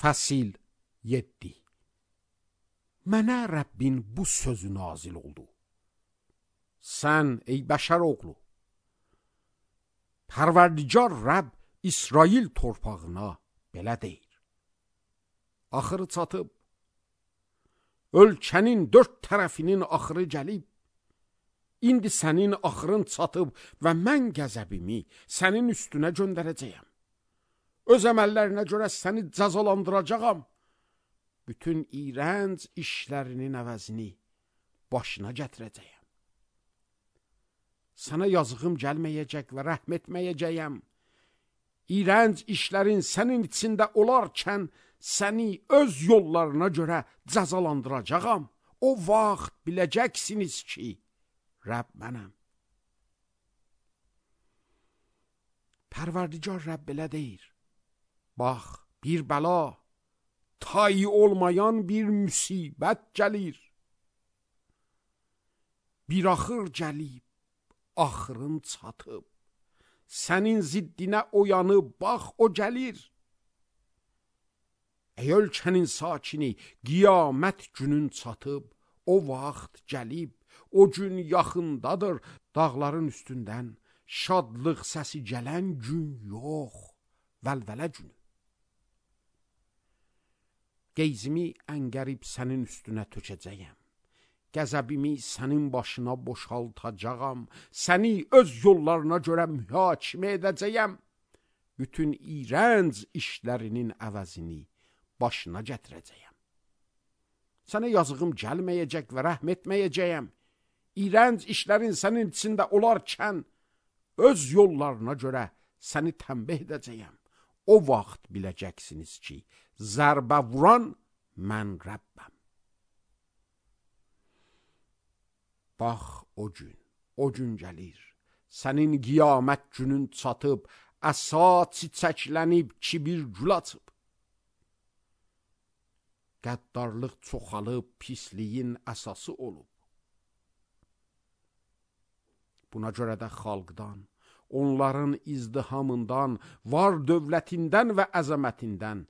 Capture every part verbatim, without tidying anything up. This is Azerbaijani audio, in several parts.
Fəsil yeddi. Mənə Rəbbin bu sözü nazil oldu. Sən ey bəşər oğlu, Pərverdigar Rəbb İsrail torpağına belə deyir. Axırı çatıb, ölkənin dörd tərəfinin axırı gəlib, indi sənin axırın çatıb və mən qəzəbimi sənin üstünə göndərəcəyəm. Öz əməllərinə görə səni cəzalandıracağam. Bütün iyrənc işlərinin əvəzini başına gətirəcəyəm. Sənə yazığım gəlməyəcək və rəhm etməyəcəyəm. İyrənc işlərin sənin içində olarkən səni öz yollarına görə cəzalandıracağam. O vaxt biləcəksiniz ki, Rəbb mənəm. Pərverdigar Rəbb belə deyir. Bax, bir bəla, tayı olmayan bir müsibət gəlir. Bir axır gəlib, axırın çatıb. Sənin ziddinə oyanıb, bax, o gəlir. Ey ölkənin sakini, qiyamət günün çatıb, o vaxt gəlib, o gün yaxındadır, dağların üstündən şadlıq səsi gələn gün yox, vəlvələ günü. Qeyzimi əngərib sənin üstünə tökəcəyəm. Qəzəbimi sənin başına boşaltacağam. Səni öz yollarına görə mühakimə edəcəyəm. Bütün iyrənc işlərinin əvəzini başına gətirəcəyəm. Sənə yazığım gəlməyəcək və rəhm etməyəcəyəm. İyrənc işlərin sənin içində olarkən öz yollarına görə səni tənbih edəcəyəm. O vaxt biləcəksiniz ki, zərbə vuran mən Rəbbəm. Bax, o gün, o gün gəlir. Sənin qiyamət günün çatıb, əsa çiçəklənib, kibir gül açıb. Qəddarlıq çoxalıb, pisliyin əsası olub. Buna görə də xalqdan, onların izdihamından, var dövlətindən və əzəmətindən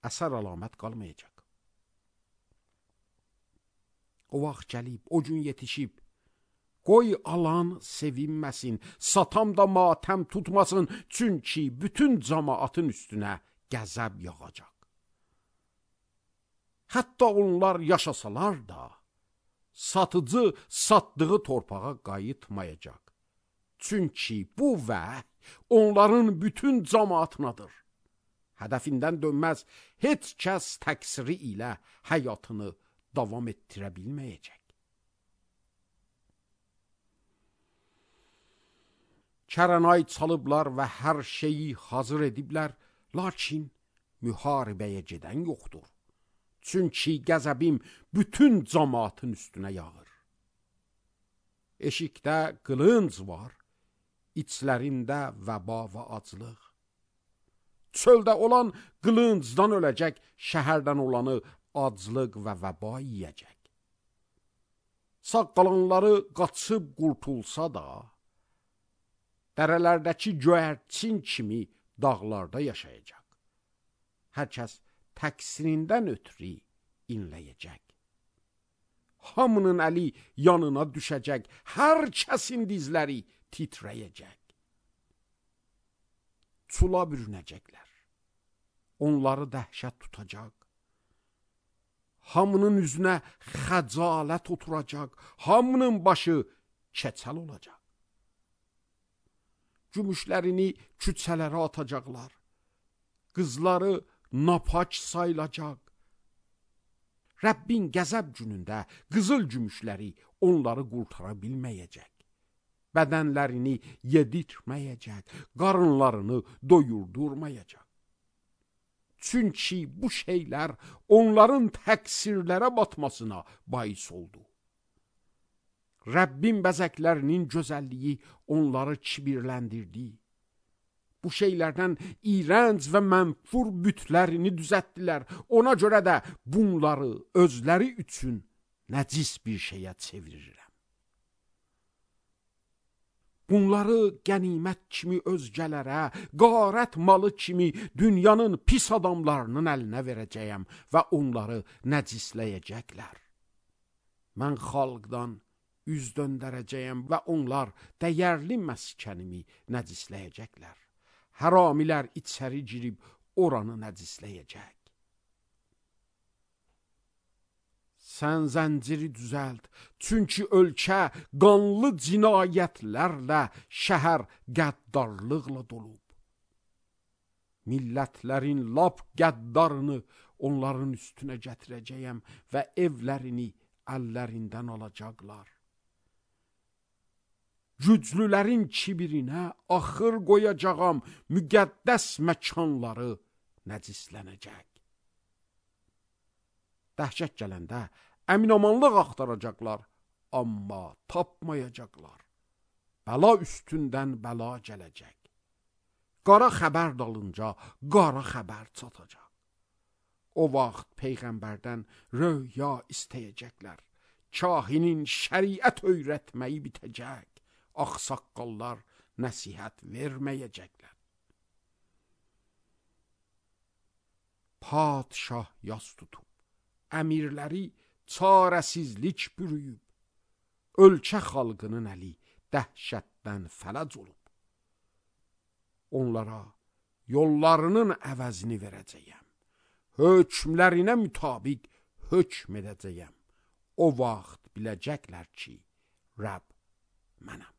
əsər əlamət qalmayacaq. O vaxt gəlib, o gün yetişib, qoy alan sevinməsin, satan da matəm tutmasın, çünki bütün cəmaatın üstünə qəzəb yağacaq. Hətta onlar yaşasalar da, satıcı satdığı torpağa qayıtmayacaq. Çünki bu vəhy onların bütün cəmaatinadır. Hədəfindən dönməz, heç kəs təqsiri ilə həyatını davam etdirə bilməyəcək. Kərənay çalıblar və hər şeyi hazır ediblər, lakin müharibəyə gedən yoxdur. Çünki qəzəbim bütün cəmaatın üstünə yağır. Eşikdə qılınc var, içlərində vəba və aclıq. Çöldə olan qılıncdan öləcək, şəhərdən olanı aclıq və vəba yiyəcək. Sağ qalanları qaçıb qurtulsa da, dərələrdəki göyərçin kimi dağlarda yaşayacaq. Hər kəs təqsirindən ötürü inləyəcək. Hamının əli yanına düşəcək, hər kəsin dizləri titrəyəcək. Çula bürünəcəklər, onları dəhşət tutacaq. Hamının üzünə xəcalət oturacaq, hamının başı keçəl olacaq. Gümüşlərini küçələrə atacaqlar, qızları napak sayılacaq. Rəbbin qəzəb günündə qızıl gümüşləri onları qurtara bilməyəcək. Bədənlərini yedirtməyəcək, qarınlarını doyurdurmayacaq. Çünki bu şeylər onların təqsirlərə batmasına bais oldu. Rəbbin bəzəklərinin gözəlliyi onları kibirləndirdi. Bu şeylərdən iyrənc və mənfur bütlərini düzəltdilər. Ona görə də bunları özləri üçün nəcis bir şeyə çevirirəm. Bunları qənimət kimi özgələrə, qarət malı kimi dünyanın pis adamlarının əlinə verəcəyəm və onları nəcisləyəcəklər. Mən xalqdan üz döndərəcəyəm və onlar dəyərli məskənimi nəcisləyəcəklər. Həramilər içəri girib oranı nəcisləyəcək. Sən zənciri düzəlt, çünki ölkə qanlı cinayətlərlə, şəhər qəddarlıqla dolub. Millətlərin lap qəddarını onların üstünə gətirəcəyəm və evlərini əllərindən alacaqlar. Güclülərin kibirinə axır qoyacağam, müqəddəs məkanları nəcislənəcək. Dəhşət gələndə əminamanlıq axtaracaqlar, amma tapmayacaqlar. Bəla üstündən bəla gələcək. Qara xəbər dalınca qara xəbər çatacaq. O vaxt Peyğəmbərdən röya istəyəcəklər. Kahinin şəriət öyrətməyi bitəcək. Ağsaqqallar nəsihət verməyəcəklər. Padşah yas tutub, əmirləri çarəsizlik bürüyüb, ölkə xalqının əli dəhşətdən fələc olub. Onlara yollarının əvəzini verəcəyəm, hökmlərinə mütabiq hökm edəcəyəm. O vaxt biləcəklər ki, Rəbb mənəm.